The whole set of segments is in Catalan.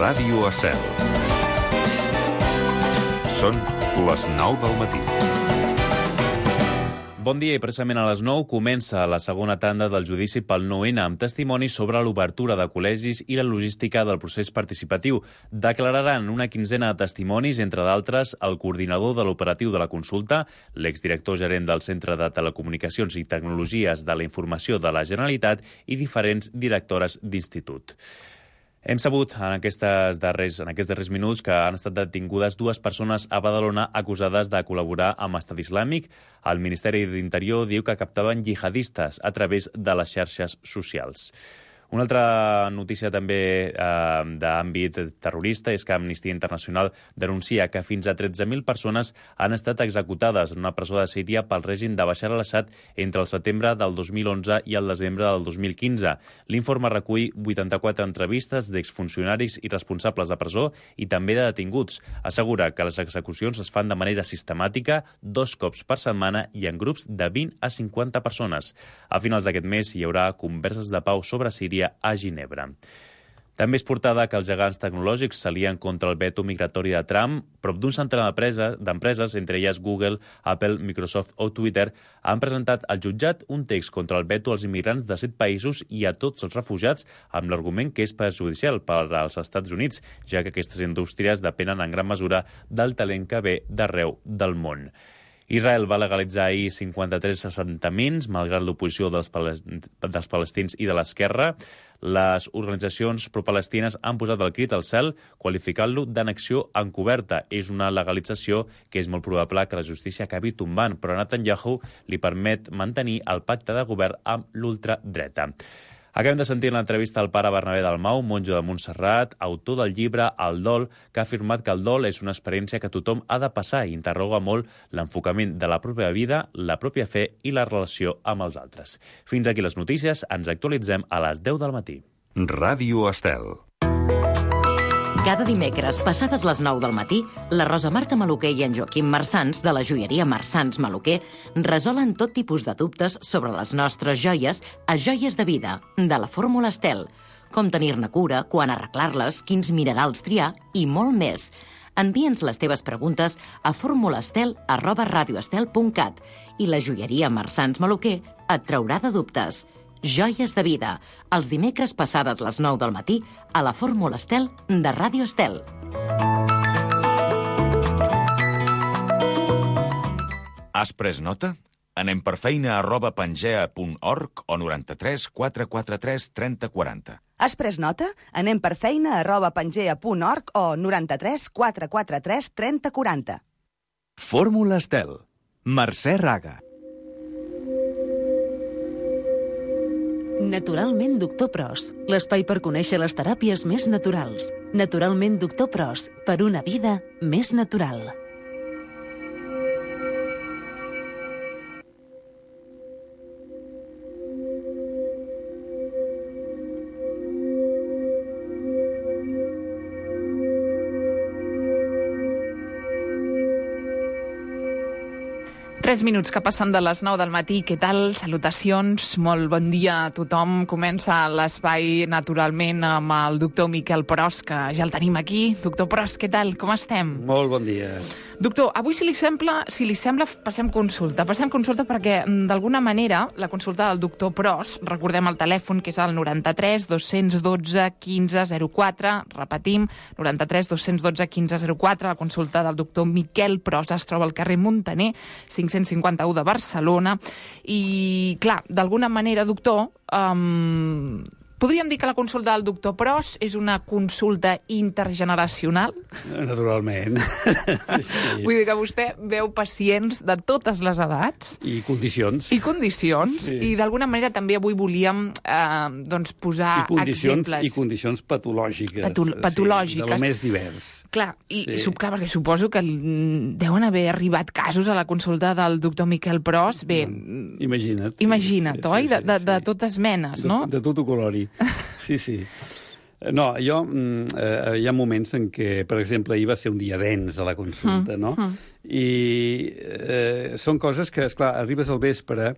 Ràdio Estel. Són les 9 del matí. Bon dia i precisament a les 9 comença la segona tanda del judici pel 9N amb testimonis sobre l'obertura de col·legis i la logística del procés participatiu. Declararan una quinzena de testimonis, entre d'altres, el coordinador de l'operatiu de la consulta, l'exdirector gerent del Centre de Telecomunicacions i Tecnologies de la Informació de la Generalitat i diferents directores d'institut. Hem sabut en aquests darrers minuts que han estat detingudes 2 persones a Badalona acusades de col·laborar amb Estat Islàmic. El Ministeri d'Interior diu que captaven jihadistes a través de les xarxes socials. Una altra notícia també d'àmbit terrorista és que Amnistia Internacional denuncia que fins a 13.000 persones han estat executades en una presó de Síria pel règim de Bashar al-Assad entre el setembre del 2011 i el desembre del 2015. L'informe recull 84 entrevistes d'exfuncionaris i responsables de presó i també de detinguts. Assegura que les execucions es fan de manera sistemàtica, 2 cops per setmana i en grups de 20 a 50 persones. A finals d'aquest mes hi haurà converses de pau sobre Síria a Ginebra. També és portada que els gegants tecnològics s'alien contra el veto migratori de Trump. Prop d'un centenar d'empreses, entre elles Google, Apple, Microsoft o Twitter, han presentat al jutjat un text contra el veto als immigrants de 7 països i a tots els refugiats amb l'argument que és perjudicial per als Estats Units, ja que aquestes indústries depenen en gran mesura del talent que ve d'arreu del món. Israel va legalitzar ahir 53 assentaments, malgrat l'oposició dels palestins i de l'esquerra. Les organitzacions pro-palestines han posat el crit al cel, qualificant-lo d'annexió encoberta. És una legalització que és molt probable que la justícia acabi tombant, però Netanyahu li permet mantenir el pacte de govern amb l'ultradreta. Acabem de sentir l'entrevista al pare Bernabé Dalmau, monjo de Montserrat, autor del llibre El dol, que ha afirmat que el dol és una experiència que tothom ha de passar i interroga molt l'enfocament de la pròpia vida, la pròpia fe i la relació amb els altres. Fins aquí les notícies, ens actualitzem a les 10 del matí. Ràdio Estel. Cada dimecres, passades les 9 del matí, la Rosa Marta Maluquer i en Joaquim Marsans, de la joieria Marsans Maluquer, resolen tot tipus de dubtes sobre les nostres joies a Joies de Vida, de la Fórmula Estel. Com tenir-ne cura, quan arreglar-les, quins minerals triar i molt més. Envia'ns les teves preguntes a formulastel@radioestel.cat i la joieria Marsans Maluquer et traurà de dubtes. Joies de Vida, els dimecres passades les 9 del matí a la Fórmula Estel de Ràdio Estel. Has pres nota? Anem per feina @pangea.org o 93 443 30 40. Has pres nota? Anem per feina @pangea.org o 93 443 30 40. Fórmula Estel. Mercè Raga. Naturalment Doctor Pros, l'espai per conèixer les teràpies més naturals. Naturalment Doctor Pros, per una vida més natural. Tres minuts que passen de les 9 del matí. Què tal? Salutacions, molt bon dia a tothom. Comença l'espai, naturalment, amb el doctor Miquel Pros, que ja el tenim aquí. Doctor Pros, què tal? Com estem? Molt bon dia. Doctor, avui, si li sembla, passem consulta. Passem consulta perquè, d'alguna manera, la consulta del doctor Pros, recordem el telèfon, que és el 93 212 1504, repetim, 93 212 1504, la consulta del doctor Miquel Pros es troba al carrer Muntaner, 551 de Barcelona. I, clar, d'alguna manera, doctor, podríem dir que la consulta del doctor Pros és una consulta intergeneracional? Naturalment. Sí. Vull dir que vostè veu pacients de totes les edats. I condicions. Sí. I d'alguna manera també avui volíem posar exemples. I condicions patològiques. Patològiques. Sí, de lo més divers. Clar, clar, perquè suposo que deuen haver arribat casos a la consulta del doctor Miquel Pros. Bé, imagina't, oi? De totes menes, no? De tot colori. Sí. No, hi ha moments en què, per exemple, ahir va ser un dia dens de la consulta, no? I són coses que, esclar, arribes al vespre,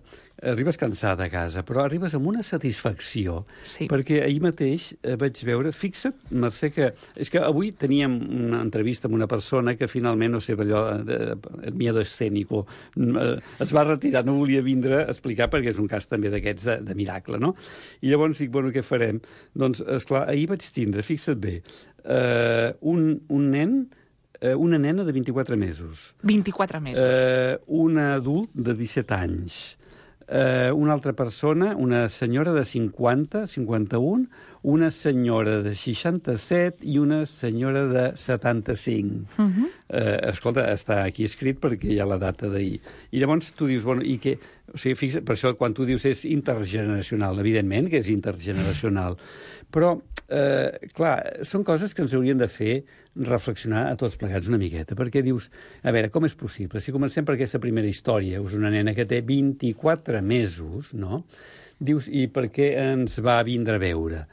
arribes cansada a casa, però arribes amb una satisfacció, perquè ahir mateix vaig veure, fixa't, Mercè, que és que avui teníem una entrevista amb una persona que finalment, no sé, allò, el miedo escénico, es va retirar, no volia vindre a explicar perquè és un cas també d'aquests de miracle, no? I llavors dic, bueno, què farem? Doncs, esclar, ahir vaig tindre, fixa't bé, un nen, una nena de 24 mesos. 24 mesos. Un adult de 17 anys. Una altra persona, una senyora de 50, 51, una senyora de 67 i una senyora de 75. Escolta, està aquí escrit perquè hi ha la data d'ahir. I llavors tu dius, bueno, i què? O sigui, fixa't, per això quan tu dius és intergeneracional, evidentment que és intergeneracional. Però, clar, són coses que ens haurien de fer reflexionar a tots plegats una miqueta, perquè dius, a veure, com és possible? Si comencem per aquesta primera història, és una nena que té 24 mesos, no? Dius, i per què ens va vindre a veure?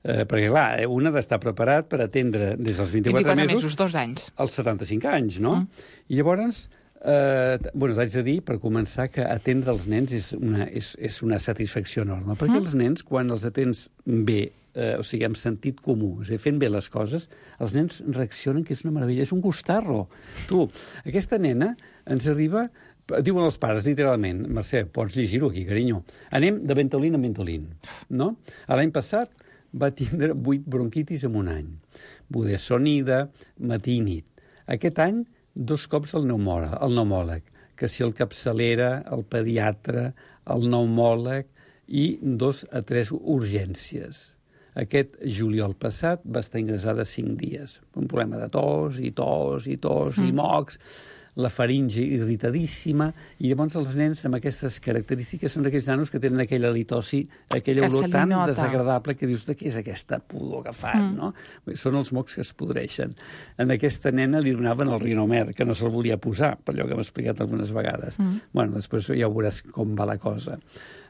Perquè, clar, un ha d'estar preparat per atendre des dels 24 mesos 2 anys. als 75 anys, no? I llavors, bueno, t'haig de dir, per començar, que atendre els nens és una satisfacció enorme, perquè els nens, quan els atens bé, o sigui, amb sentit comú, és a dir, fent bé les coses, els nens reaccionen que és una meravella, és un gustarro. Tu, aquesta nena ens arriba, diuen els pares, literalment, Mercè, pots llegir-ho aquí, carinyo, anem de Ventolin a Ventolin, no? L'any passat va tindre 8 bronquitis en un any, budesonida, matí i nit. Aquest any, 2 cops el pneumòleg, que si el capçalera, el pediatre, el pneumòleg i 2 a 3 urgències. Aquest juliol passat va estar ingressada 5 dies. Un problema de tos i mocs, la faringe irritadíssima, i llavors els nens amb aquestes característiques són aquells nanos que tenen aquella halitosi, aquella olor tan desagradable que dius, de què és aquesta pudor que fan, no? Són els mocs que es podreixen. En aquesta nena li donaven el Rinomer, que no se'l volia posar, per allò que m'ha explicat algunes vegades. Bueno, després ja veuràs com va la cosa.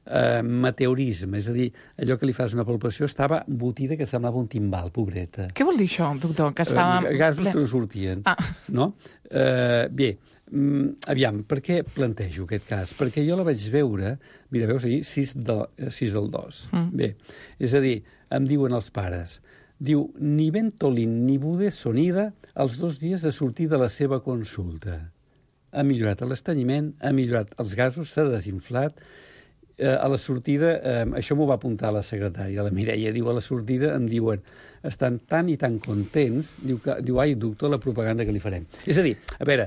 Meteorisme, és a dir, allò que li fas una palpació estava embotida que semblava un timbal, pobreta. Què vol dir això, doctor? Que estava... Gasos que no sortien, no? Bé, aviam, per què plantejo aquest cas? Perquè jo la vaig veure, mira, veus ahir, 6 del 2. Bé, és a dir, em diuen els pares, diu, ni Ventolin ni budesonida els 2 dies de sortir de la seva consulta. Ha millorat l'estanyiment, ha millorat els gasos, s'ha desinflat. A la sortida, això m'ho va apuntar la secretària, la Mireia, diu, a la sortida em diuen, estan tan i tan contents, diu, ai, doctor, la propaganda que li farem. És a dir, a veure,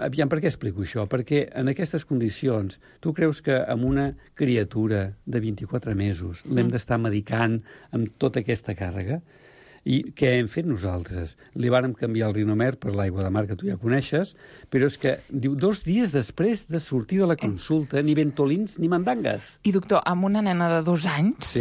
aviam, per què explico això? Perquè en aquestes condicions, tu creus que amb una criatura de 24 mesos l'hem d'estar medicant amb tota aquesta càrrega? I què hem fet nosaltres? Li vàrem canviar el Rinomer per l'aigua de mar, que tu ja coneixes, però és que, diu, 2 dies després de sortir de la consulta, ni ventolins ni mandangues. I, doctor, amb una nena de 2 anys,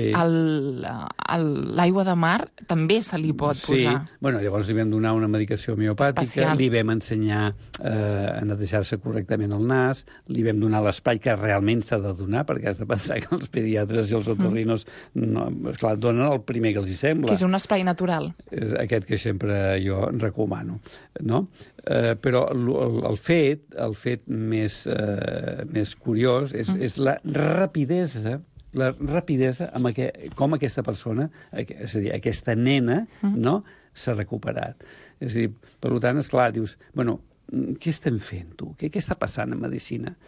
l'aigua de mar també se li pot posar. Sí, bueno, llavors li vam donar una medicació homeopàtica, li vam ensenyar a netejar-se correctament el nas, li vam donar l'espai que realment s'ha de donar, perquè has de pensar que els pediatres i els otorrinos, esclar, donen el primer que els hi sembla. Que és un espai natural. És aquest que sempre jo recomano, no? Però el fet més curiós és la rapidesa amb com aquesta persona, és a dir, aquesta nena, no, s'ha recuperat. És a dir, per tant, esclar, dius, bueno, què estem fent, tu? Què està passant en medicina?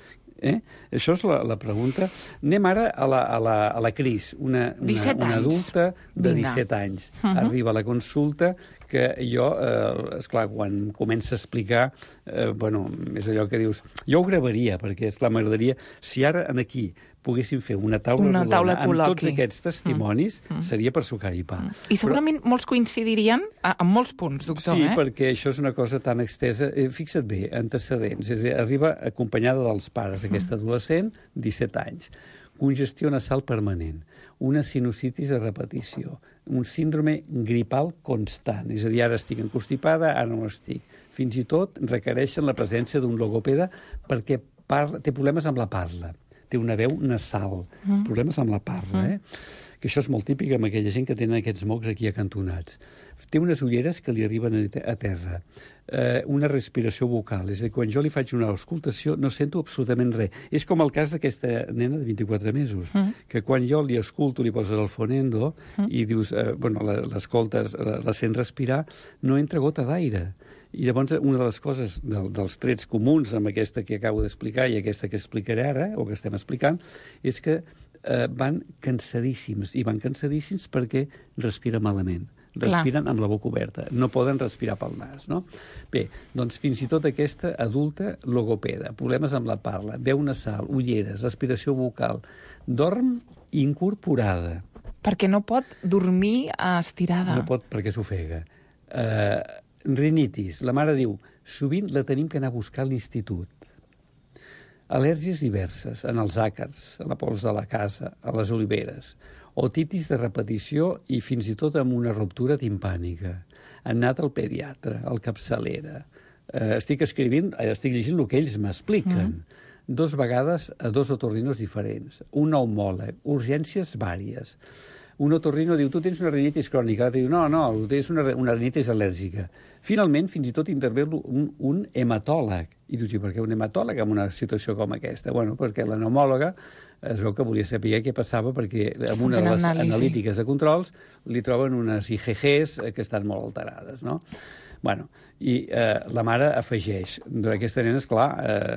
Això és la pregunta. Anem ara a la Cris, una adulta de 17 anys. Arriba a la consulta que jo, esclar, quan comença a explicar, bueno, és allò que dius, jo ho gravaria, perquè, esclar, m'agradaria, si ara aquí poguéssim fer una taula rodona amb tots aquests testimonis, seria per sucar-hi pa. I segurament molts coincidirien en molts punts, doctor. Sí, perquè això és una cosa tan extesa. Fixa't bé, antecedents. És a dir, arriba acompanyada dels pares, aquesta adolescent, 17 anys. Congestió nasal permanent, una sinusitis a repetició, un síndrome gripal constant. És a dir, ara estic enconstipada, ara no estic. Fins i tot requereixen la presència d'un logopeda perquè té problemes amb la parla. Té una veu nasal, problemes amb la parla, que això és molt típic amb aquella gent que tenen aquests mocs aquí acantonats. Té unes ulleres que li arriben a terra, una respiració vocal, és a dir, quan jo li faig una auscultació no sento absolutament res. És com el cas d'aquesta nena de 24 mesos, que quan jo li escolto, li poses el fonendo i dius, l'escoltes, la sents respirar, no entra gota d'aire. I llavors una de les coses, dels trets comuns amb aquesta que acabo d'explicar i aquesta que explicaré ara, o que estem explicant, és que van cansadíssims, i van cansadíssims perquè respiren malament. Respiren amb la boca oberta, no poden respirar pel nas, no? Bé, doncs fins i tot aquesta adulta logopeda, problemes amb la parla, veu nasal, ulleres, respiració vocal, dorm incorporada. Perquè no pot dormir estirada. No pot perquè s'ofega. Rinitis, la mare diu, sovint la tenim que anar a buscar a l'institut. Al·lèrgies diverses, en els àcars, a la pols de la casa, a les oliveres. Otitis de repetició i fins i tot amb una ruptura timpànica. Han anat al pediatre, al capçalera. Estic llegint el que ells m'expliquen. 2 vegades a 2 otorrinos diferents. Un pneumòleg, urgències vàries. Un otorrino diu, tu tens una rinitis crònica. L'altre diu, no, tens una rinitis al·lèrgica. Finalment, fins i tot intervé un hematòleg. I dius, i per què un hematòleg en una situació com aquesta? Bueno, perquè la pneumòloga es veu que volia saber què passava perquè en una de les analítiques de controls li troben unes IgGs que estan molt alterades, no? Bueno, i la mare afegeix, aquesta nena, esclar,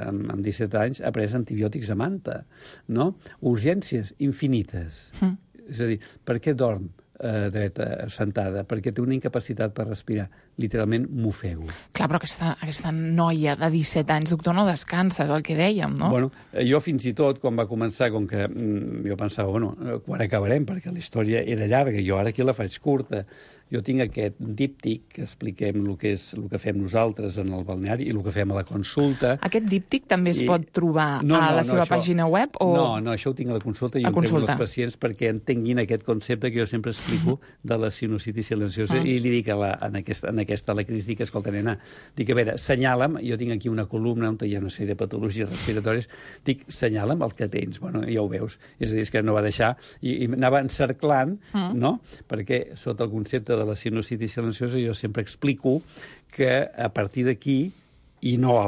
amb 17 anys, ha pres antibiòtics a manta, no? Urgències infinites. És a dir, per què dorm dreta, sentada? Perquè té una incapacitat per respirar. Literalment m'ofego. Clar, però aquesta noia de 17 anys, doctor, no descansa, és el que dèiem, no? Bueno, jo fins i tot, quan va començar, com que jo pensava, bueno, quan acabarem? Perquè la història era llarga, jo ara aquí la faig curta. Jo tinc aquest díptic que expliquem el que fem nosaltres en el balneari i el que fem a la consulta. Aquest díptic també es pot trobar a la seva pàgina web? No, això ho tinc a la consulta i ho entrego als pacients perquè entenguin aquest concepte que jo sempre explico de la sinusitis silenciosa i li dic a la Cris, dic, escolta, nena, dic, a veure, senyala'm, jo tinc aquí una columna on hi ha una sèrie de patologies respiratòries, dic, senyala'm el que tens. Bueno, ja ho veus. És a dir, que no va deixar i anava encerclant, no? Perquè sota el concepte de la sinusitis silenciosa jo sempre explico que a partir d'aquí i no a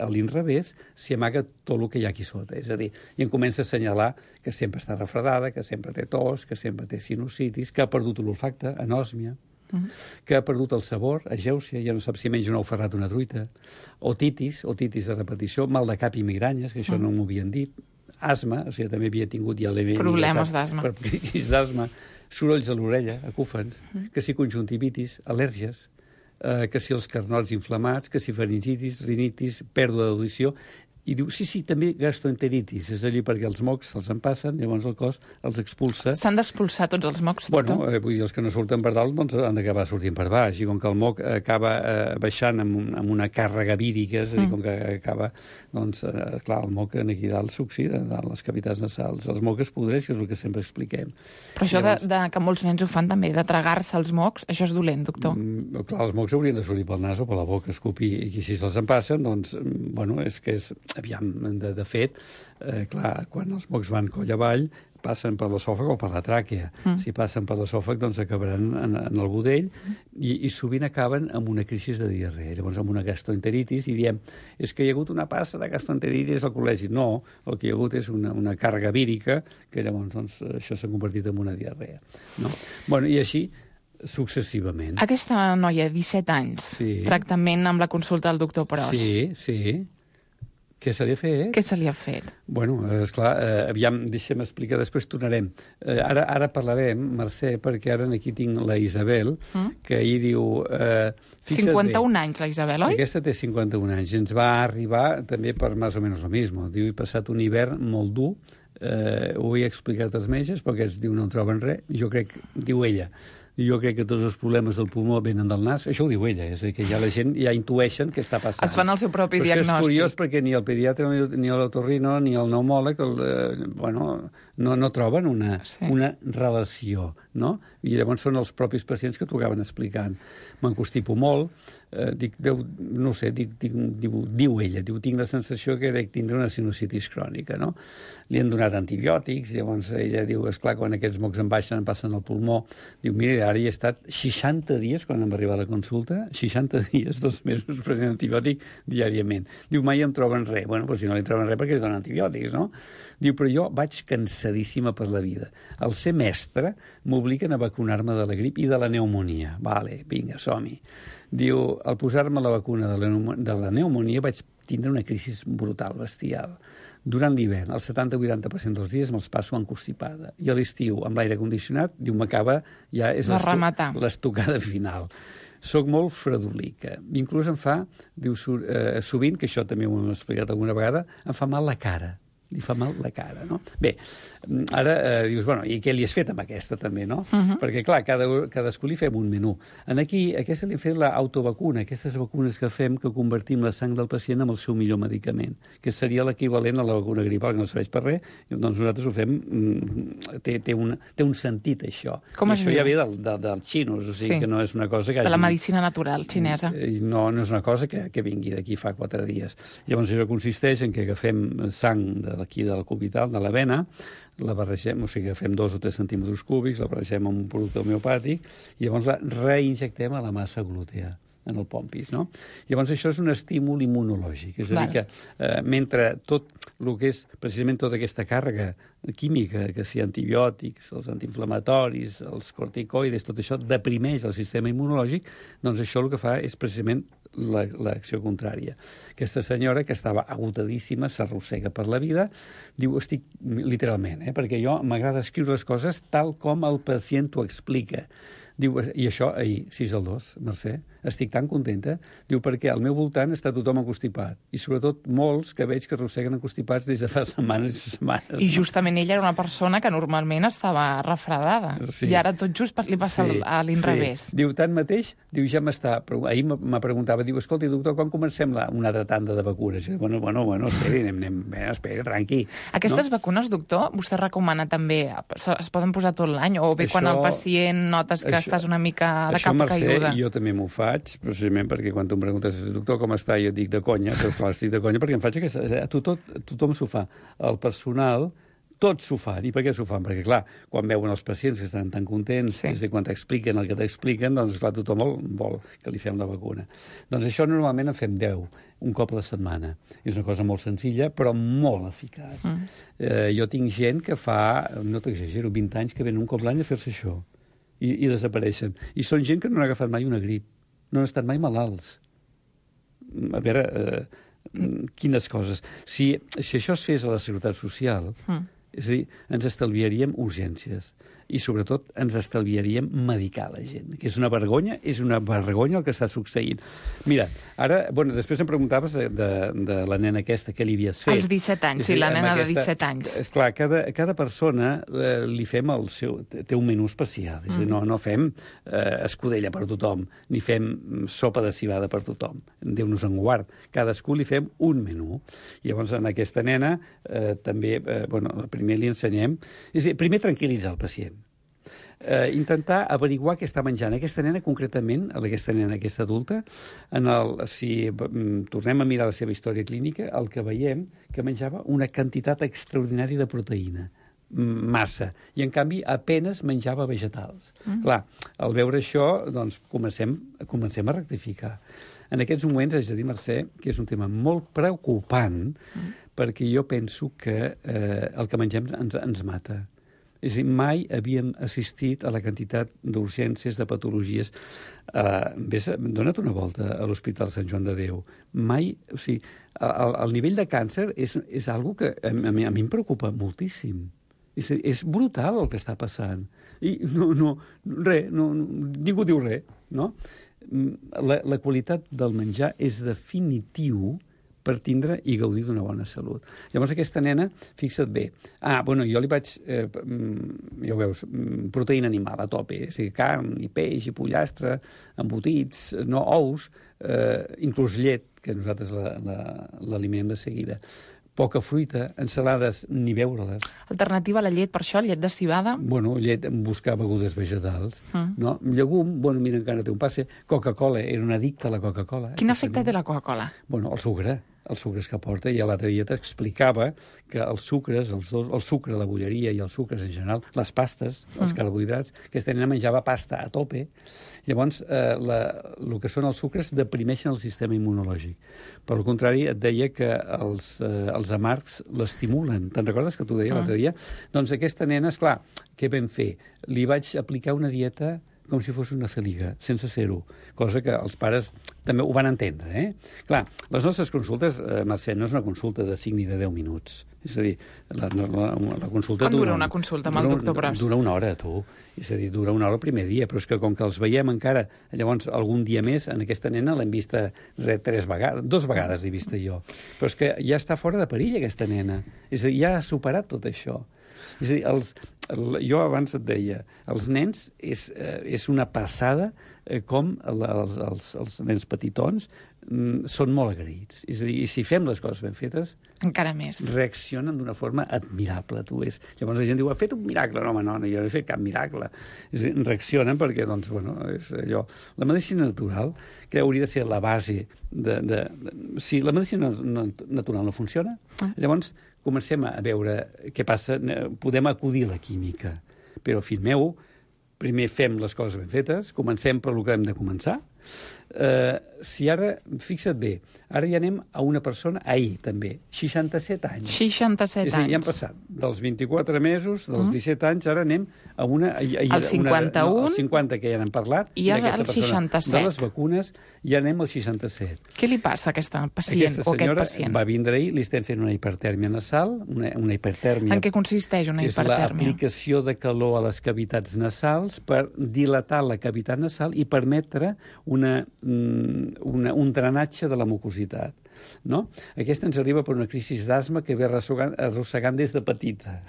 l'inrevés, s'hi amaga tot el que hi ha aquí sota. És a dir, i em comença a assenyalar que sempre està refredada, que sempre té tos, que sempre té sinusitis, que ha perdut l'olfacte, anòsmia, que ha perdut el sabor, agèusia, ja no sap si menja un ou ferrat o una truita, otitis de repetició, mal de cap i migranyes, que això no m'ho havien dit, asma, o sigui, també havia tingut ja problemes d'asma. Per crisis d'asma, sorolls a l'orella, acúfens, que si conjuntivitis, al·lèrgies, que si els carnots inflamats, que si faringitis, rinitis, pèrdua d'audició, i diu, sí, també gastroenteritis, és allí perquè els mocs se'ls en passen, llavors el cos els expulsa. S'han d'expulsar tots els mocs, doctor? Bueno, vull dir, els que no surten per dalt doncs han d'acabar sortint per baix, i com que el moc acaba baixant amb una càrrega vírica, és a dir, com que acaba, doncs, clar, el moc aquí dalt s'oxida, dalt les cavitats nasals. Els mocs es podreix, que és el que sempre expliquem. Però això llavors, que molts nens ho fan també, de tragar-se els mocs, això és dolent, doctor? Clar, els mocs haurien de sortir pel nas o per la boca, escopir, i si se'ls en passen, doncs, bueno, és que és... Aviam, de fet, clar, quan els mocs van coll avall, passen per l'esòfag o per la tràquea. Si passen per l'esòfag, doncs acabaran en el budell i sovint acaben amb una crisi de diarrea, llavors amb una gastroenteritis, i diem, és que hi ha hagut una passa de gastroenteritis al col·legi. No, el que hi ha hagut és una càrrega vírica, que llavors doncs, això s'ha convertit en una diarrea. No? Bueno, i així successivament. Aquesta noia, 17 anys, tractament amb la consulta del doctor Pros. Sí. Què se li ha fet? Què se li ha fet? Bueno, esclar, aviam, deixa'm explicar, després tornarem. Ara parlarem, Mercè, perquè ara aquí tinc la Isabel, que ahir diu... 51 anys, la Isabel, oi? Aquesta té 51 anys. Ens va arribar també per més o menys el mismo. Diu, he passat un hivern molt dur, ho he explicat als metges, perquè es diu no en troben res. Jo crec, diu ella, jo crec que tots els problemes del pulmó venen del nas. Això ho diu ella, és a dir, que ja la gent ja intueixen què està passant. Es fan el seu propi diagnòstic. Però és curiós perquè ni el pediatre, ni l'otorrino, ni el pneumòleg, no troben una relació, no? I llavors són els propis pacients que t'ho acaben explicant. M'encostipo molt, no sé, diu ella, tinc la sensació que dec tindre una sinusitis crònica, no? Li han donat antibiòtics, llavors ella diu, esclar, quan aquests mocs em baixen, em passen al pulmó, diu, mira, ara hi he estat 60 dies, quan em va arribar a la consulta, 60 dies, 2 mesos prenent antibiòtic diàriament. Diu, mai em troben res. Bueno, doncs si no li troben res, perquè li donen antibiòtics, no? Diu, però jo vaig cansadíssima per la vida. Al ser mestre, m'obliguen a vacunar-me de la grip i de la pneumonia. Vale, vinga, som-hi. Diu, al posar-me la vacuna de la pneumonia vaig tindre una crisi brutal, bestial. Durant l'hivern, el 70-80% dels dies me'ls passo encostipada. I a l'estiu, amb l'aire condicionat, diu, m'acaba, ja és l'estocada final. Soc molt fredolica. Inclús em fa, diu, sovint, que això també ho hem explicat alguna vegada, em fa mal la cara. Li fa mal la cara, no? Bé, ara dius, bueno, i què li has fet amb aquesta també, no? Perquè, clar, cadascú li fem un menú. Aquí, aquesta li hem fet l'autovacuna, aquestes vacunes que fem que convertim la sang del pacient en el seu millor medicament, que seria l'equivalent a la vacuna gripal, que no serveix per res, doncs nosaltres ho fem, té un sentit, això. Com es diu? Això ja ve dels xinos, o sigui que no és una cosa que hagi... De la medicina natural xinesa. No és una cosa que vingui d'aquí fa 4 dies. Llavors, això consisteix en que agafem sang d'aquí del cubital, de la vena, la barregem, o sigui, agafem 2 o 3 centímetres cúbics, la barregem amb un producte homeopàtic i llavors la reinjectem a la massa glútea, en el pompis, no? Llavors això és un estímul immunològic, és a dir que mentre tot el que és precisament tota aquesta càrrega química, que sigui antibiòtics, els antiinflamatoris, els corticoides, tot això deprimeix el sistema immunològic, doncs això el que fa és precisament l'acció contrària. Aquesta senyora, que estava agotadíssima, s'arrossega per la vida, diu, estic literalment, perquè jo m'agrada escriure les coses tal com el pacient t'ho explica. Diu, i això ahir, 6-2, Mercè, estic tan contenta, diu, perquè al meu voltant està tothom encostipat, i sobretot molts que veig que arrosseguen encostipats des de fa setmanes i setmanes. I justament ella era una persona que normalment estava refredada, i ara tot just li passa a l'inrevés. Diu, tanmateix, diu, ja m'està... Ahir me preguntava, diu, escolta, doctor, quan comencem una altra tanda de vacunes? I diu, bueno, esperi, esperi, tranqui. Aquestes vacunes, doctor, vostè recomana també, es poden posar tot l'any, o bé quan el pacient notes que estàs una mica de capa caiguda? Això, Mercè, jo també m'ho faig, precisament perquè quan tu em preguntes, doctor, com està? Jo dic de conya, però clar, estic de conya perquè em faig aquesta... Tothom s'ho fa. El personal, tots s'ho fan. I per què s'ho fan? Perquè, clar, quan veuen els pacients que estan tan contents, és quan t'expliquen el que t'expliquen, doncs, clar, tothom vol que li fem la vacuna. Doncs això normalment en fem 10, un cop a la setmana. És una cosa molt senzilla, però molt eficaç. Jo tinc gent que fa, no t'exagero, 20 anys que venen un cop l'any a fer-se això. I desapareixen. I són gent que no han agafat mai una grip. No han estat mai malalts. A veure, quines coses. Si això es fes a la Seguretat Social, és a dir, ens estalviaríem urgències i, sobretot, ens estalviaríem medicar la gent, que és una vergonya el que està succeint. Mira, ara, bueno, després em preguntaves de la nena aquesta, què li havies fet. Als 17 anys, sí, la nena de 17 anys. Esclar, cada persona li fem el seu... Té un menú especial, és a dir, no fem escudella per tothom, ni fem sopa de civada per tothom. Déu-nos en guard. Cadascú li fem un menú. Llavors, en aquesta nena, també, bueno, primer li ensenyem... És a dir, primer tranquil·litzar el pacient. Intentar averiguar què està menjant. Aquesta nena, concretament, aquesta adulta, si tornem a mirar la seva història clínica, el que veiem que menjava una quantitat extraordinària de proteïna, massa, i en canvi apenes menjava vegetals. Clar, al veure això, doncs comencem a rectificar. En aquests moments, haig de dir, Mercè, que és un tema molt preocupant, perquè jo penso que el que mengem ens mata. És a dir, mai havíem assistit a la quantitat d'urgències, de patologies. Dona't una volta a l'Hospital Sant Joan de Déu. Mai, o sigui, el nivell de càncer és algo que a mi em preocupa moltíssim. És brutal el que està passant. I ningú diu res, no? La qualitat del menjar és definitiu per tindre i gaudir d'una bona salut. Llavors, aquesta nena, fixa't bé, jo li vaig, ja ho veus, proteïna animal a tope, és a dir, carn, i peix, i pollastre, embotits, no ous, inclús llet, que nosaltres l'eliminem de seguida. poca fruita, ensalades, ni veure-les. Alternativa a la llet, per això, llet de civada? Bueno, llet, buscar begudes vegetals, no? Llegum, bueno, mira, encara té un passe. Coca-Cola, era un addicte a la Coca-Cola. Quin efecte té la Coca-Cola? Bueno, els sucres que aporta, i a l'altre dia t'explicava que els sucres, el sucre, la bolleria i els sucres en general, les pastes, els carbohidrats, aquesta nena menjava pasta a tope, llavors el que són els sucres deprimeixen el sistema immunològic. Per al contrari, et deia que els amargs l'estimulen. Te'n recordes que t'ho deia l'altre dia? Doncs aquesta nena, esclar, què vam fer? Li vaig aplicar una dieta com si fos una celiga, sense ser-ho, cosa que els pares també ho van entendre, Clar, les nostres consultes, Mercè, no és una consulta de 5 ni de 10 minuts. És a dir, la consulta... Quan dura una consulta amb el doctor Pros? Dura una hora, tu. És a dir, dura una hora el primer dia, però és que com que els veiem encara, llavors algun dia més, en aquesta nena l'hem vista 2 vegades he vista jo. Però és que ja està fora de perill, aquesta nena. És a dir, ja ha superat tot això. És a dir, jo abans et deia, els nens és una passada com els nens petitons són molt agraïts. És a dir, i si fem les coses ben fetes... Encara més. Reaccionen d'una forma admirable, tu és. Llavors la gent diu, ha fet un miracle. No, home, no, jo no he fet cap miracle. És a dir, reaccionen perquè, doncs, bueno, és allò... La medicina natural, que hauria de ser la base si la medicina natural no funciona, llavors comencem a veure què passa, podem acudir a la química. Però, fill meu, primer fem les coses ben fetes, comencem per el que hem de començar. Si ara, fixa't bé, ara ja anem a una persona, ahir també, 67 anys. 67 anys. És a dir, ja hem passat dels 24 mesos, dels 17 anys, ara anem a una... El 51. El 50, que ja n'hem parlat. I ara el 67. De les vacunes, ja anem al 67. Què li passa a aquesta pacient o aquest pacient? Aquesta senyora va vindre ahir, li estem fent una hipertèrmia nasal, una hipertèrmia... En què consisteix una hipertèrmia? És l'aplicació de calor a les cavitats nasals per dilatar la cavitat nasal i permetre un drenatge de la mucositat. No? Aquesta ens arriba per una crisi d'asma que ve arrossegant des de petita.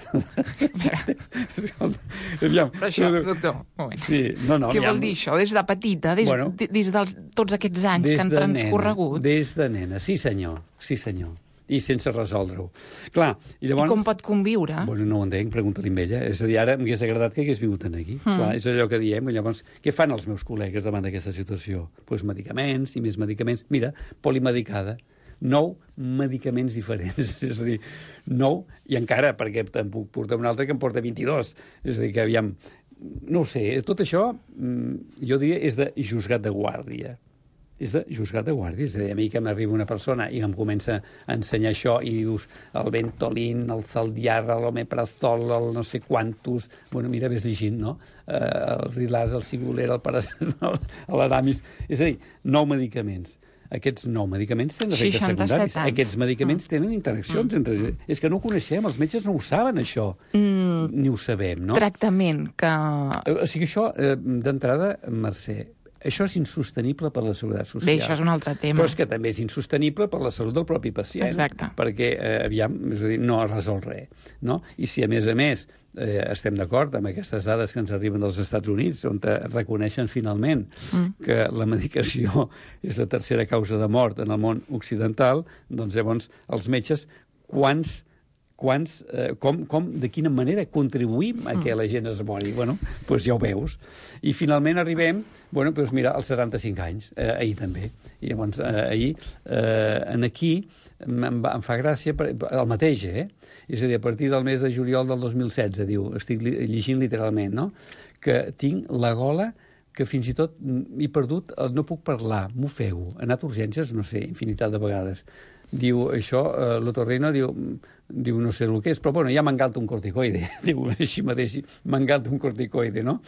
Però això, doctor, un moment. Sí, què vol dir això? Des de petita? Des de tots aquests anys que han transcorregut? Des de nena, sí senyor. I sense resoldre-ho. Clar, i llavors... I com pot conviure? Bueno, no ho entenc, pregunta-li amb ella. És a dir, ara m'hagués agradat que hagués vingut aquí. Clar, és allò que diem. I llavors, què fan els meus col·legues davant d'aquesta situació? Doncs medicaments i més medicaments. Mira, polimedicada. 9 medicaments diferents. És a dir, 9, i encara, perquè em puc portar un altre que em porta 22. És a dir, que aviam... No ho sé, tot això, jo diria, és de juzgat de guàrdia. És de juzgat de guàrdia. És a dir, a mi que m'arriba una persona i em comença a ensenyar això i dius el Ventolin, el Zaldiar, l'Omeprazol, el no sé quantos... Bueno, mira, ves llegint, no? El Rilaz, el Sigulera, el Paracetamol, l'Aramis... És a dir, 9 medicaments. Aquests 9 medicaments tenen efectes secundaris. Aquests medicaments tenen interaccions entre... És que no ho coneixem, els metges no ho saben, això. Ni ho sabem, no? Tractament que... O sigui, això, d'entrada, Mercè, això és insostenible per la seguretat social. Bé, això és un altre tema. Però és que també és insostenible per la salut del propi pacient. Exacte. Perquè, aviam, és a dir, no resol res. No? I si, a més, estem d'acord amb aquestes dades que ens arriben dels Estats Units, on reconeixen finalment que la medicació és la tercera causa de mort en el món occidental, doncs llavors els metges, de quina manera contribuïm a que la gent es mori? Bueno, doncs ja ho veus. I finalment arribem, bueno, doncs mira, als 75 anys, ahir també. I llavors, ahir, aquí, em fa gràcia, el mateix, És a dir, a partir del mes de juliol del 2016, diu, estic llegint literalment, no?, que tinc la gola que fins i tot he perdut, no puc parlar, m'ofego, he anat a urgències, no sé, infinitat de vegades. Diu, això, l'otorrino, diu, no sé el que és, però bueno, ja m'engalta un corticoide, diu, així mateix, m'engalta un corticoide, no?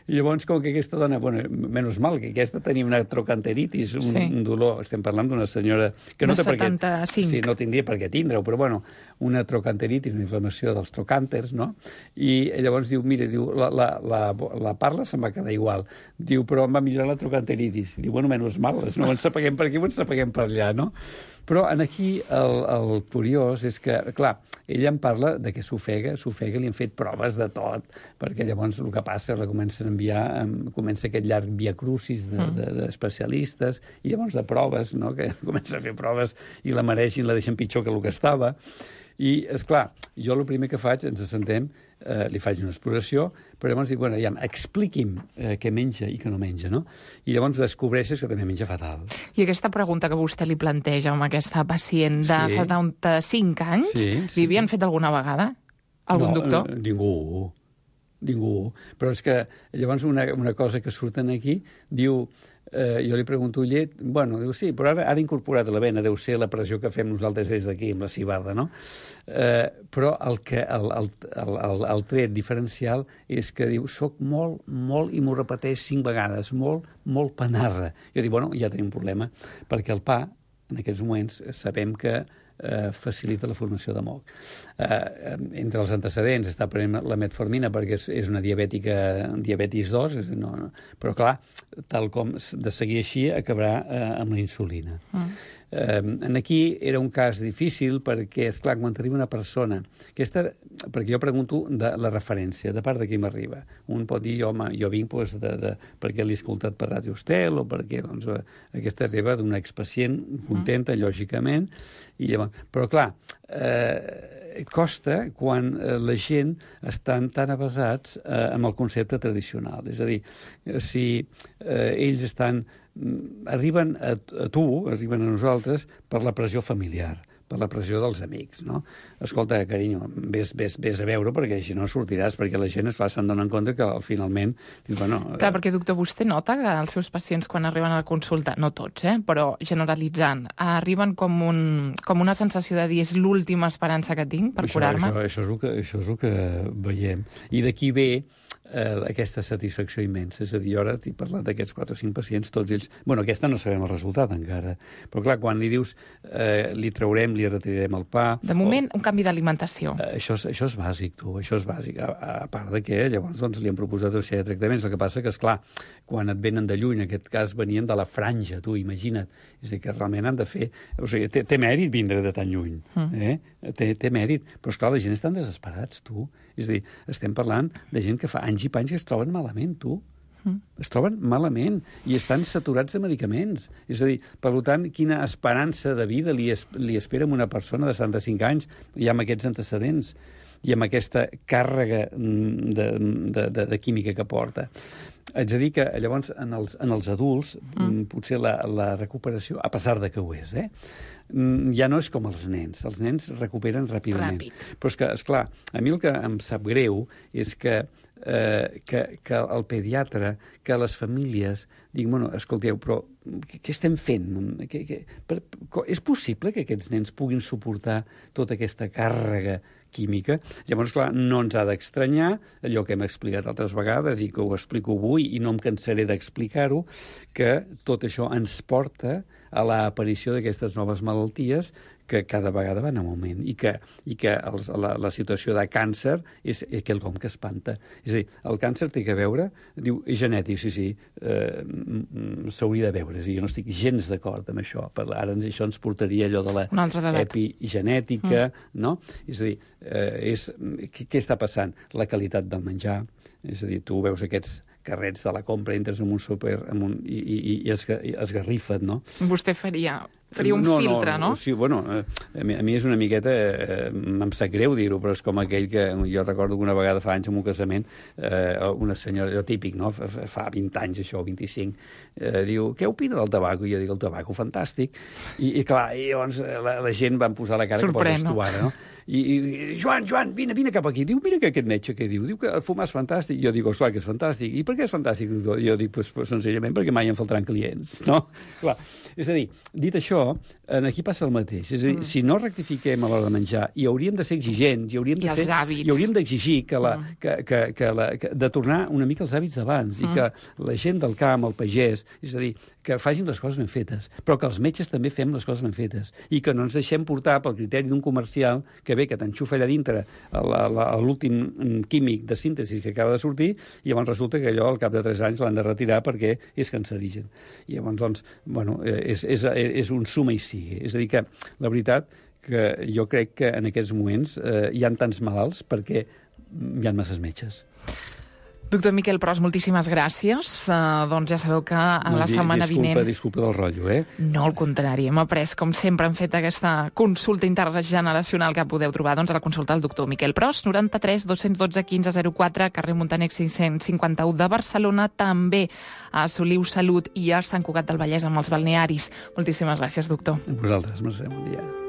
I llavors, com que aquesta dona, bueno, menys mal que aquesta tenia una trocanteritis, un dolor, estem parlant d'una senyora que no té per què... 75. Sí, no tindria per què tindre-ho, però bueno, una trocanteritis, una inflamació dels trocànters, no? I llavors diu, mira, diu, la parla se'm va quedar igual. Diu, però em va millorar la trocanteritis. Diu, bueno, menys mal, no ens apaguem per aquí, ens apaguem per allà, no? Però aquí el curiós és que, clar, ella em parla de que s'ofega, li han fet proves de tot, perquè llavors el que passa, la comencen a enviar, comença aquest llarg via crucis d'especialistes, i llavors de proves, no? Que comença a fer proves i la mereixin, la deixen pitjor que el que estava. I, esclar, jo el primer que faig, ens assentem, li faig una exploració, però llavors dic, bueno, ja, expliqui'm què menja i què no menja, no? I llavors descobreixes que també menja fatal. I aquesta pregunta que vostè li planteja amb aquesta pacient de 75 anys, li havien fet alguna vegada? Algun doctor? Ningú. Però és que llavors una cosa que surten aquí diu... jo li pregunto, llet? Bueno, diu, sí, però ara incorporat a la vena, deu ser la pressió que fem nosaltres des d'aquí, amb la cibada, no? Però el tret diferencial és que diu, soc molt, i m'ho repeteix 5 vegades, molt panarra. Jo dic, bueno, ja tenim un problema, perquè el pa, en aquests moments, sabem que facilita la formació de moc. Entre els antecedents està prenent la metformina perquè és una diabetis 2, però clar, tal com de seguir així acabarà amb la insulina. Aquí era un cas difícil perquè, esclar, quan t'arriba una persona... perquè jo pregunto de la referència, de part de qui m'arriba. Un pot dir, home, jo vinc perquè l'he escoltat per Ràdio Estel o perquè aquesta arriba d'una expacient contenta, lògicament, però clar, costa quan la gent estan tan avasats amb el concepte tradicional. És a dir, si ells arriben a tu, arriben a nosaltres per la pressió familiar, per la pressió dels amics, no? Escolta, carinyo, vés a veure perquè així no sortiràs, perquè la gent, esclar, se'n donen compte que finalment... Clar, perquè, doctor, vostè nota que els seus pacients quan arriben a la consulta, no tots, però generalitzant, arriben com una sensació de dir és l'última esperança que tinc per curar-me? Això és el que veiem. I d'aquí ve aquesta satisfacció immensa. És a dir, jo ara t'he parlat d'aquests 4 o 5 pacients, tots ells... Bueno, aquesta no sabem el resultat encara, però clar, quan li dius li traurem, li retirarem el pa... De moment, un canvi d'alimentació. Això és bàsic, tu, això és bàsic. A part de que llavors li han proposat una sèrie de tractaments. El que passa que, esclar, quan et venen de lluny, en aquest cas venien de la franja, tu, imagina't. És a dir, que realment han de fer... O sigui, té mèrit vindre de tan lluny. Té mèrit. Però, esclar, la gent estan desesperats, tu. És a dir, estem parlant de gent que fa anys i panys que es troben malament, tu. Es troben malament i estan saturats de medicaments. És a dir, per tant, quina esperança de vida li espera a una persona de 75 anys i amb aquests antecedents i amb aquesta càrrega de química que porta. Haig de dir que llavors en els adults potser la recuperació, a pesar de que ho és, ja no és com els nens. Els nens recuperen ràpidament. Però és que, esclar, a mi el que em sap greu és que el pediatre, que les famílies diguin, bueno, escolteu, però què estem fent? És possible que aquests nens puguin suportar tota aquesta càrrega química? Llavors, clar, no ens ha d'estranyar allò que hem explicat altres vegades i que ho explico avui i no em cansaré d'explicar-ho, que tot això ens porta a l'aparició d'aquestes noves malalties que cada vegada van en augment i que la situació de càncer és quelcom que espanta. És a dir, el càncer té que veure, diu, és genètic, sí, s'hauria de veure. Jo no estic gens d'acord amb això. Ara això ens portaria allò de l'epigenètica, no? És a dir, què està passant? La qualitat del menjar, és a dir, tu veus aquests carrets de la compra, entres en un súper i esgarrifen, no? Vostè faria un filtre, no? Sí, bueno, a mi és una miqueta... em sap greu dir-ho, però és com aquell que... Jo recordo que una vegada fa anys en un casament una senyora, allò típic, no? Fa 20 anys, això, 25, diu, què opina del tabaco? I jo dic, el tabaco, fantàstic. I clar, llavors la gent van posar la cara que poses tu ara, no? I Joan, vine cap aquí. Diu, mira que aquest metge què diu? Diu que fumar és fantàstic. Jo dic, esclar, que és fantàstic. I per què és fantàstic? Jo dic, pues, senzillament perquè mai em faltaran clients, no? Clar. És a dir, dit això, aquí passa el mateix. És a dir, si no rectifiquem a l'hora de menjar, i hauríem de ser exigents, i hauríem d'exigir de tornar una mica als hàbits d'abans, i que la gent del camp, el pagès, és a dir, que facin les coses ben fetes, però que els metges també fem les coses ben fetes, i que no ens deixem portar pel criteri d'un comercial que ve, que t'enxufa allà dintre l'últim químic de síntesi que acaba de sortir, i llavors resulta que allò al cap de 3 anys l'han de retirar perquè és cancerigen. I llavors, doncs, bueno, és un suma i sigue. És a dir, que la veritat que jo crec que en aquests moments hi ha tants malalts perquè hi ha masses metges. Doctor Miquel Pros, moltíssimes gràcies. Doncs ja sabeu que la setmana vinent... Disculpa del rotllo, No, al contrari. Hem après, com sempre, hem fet aquesta consulta intergeneracional que podeu trobar a la consulta del doctor Miquel Pros, 93 212 15 04, carrer Montaner 551 de Barcelona, també a Soliu Salut i a Sant Cugat del Vallès amb els balnearis. Moltíssimes gràcies, doctor. A vosaltres, Mercè, bon dia.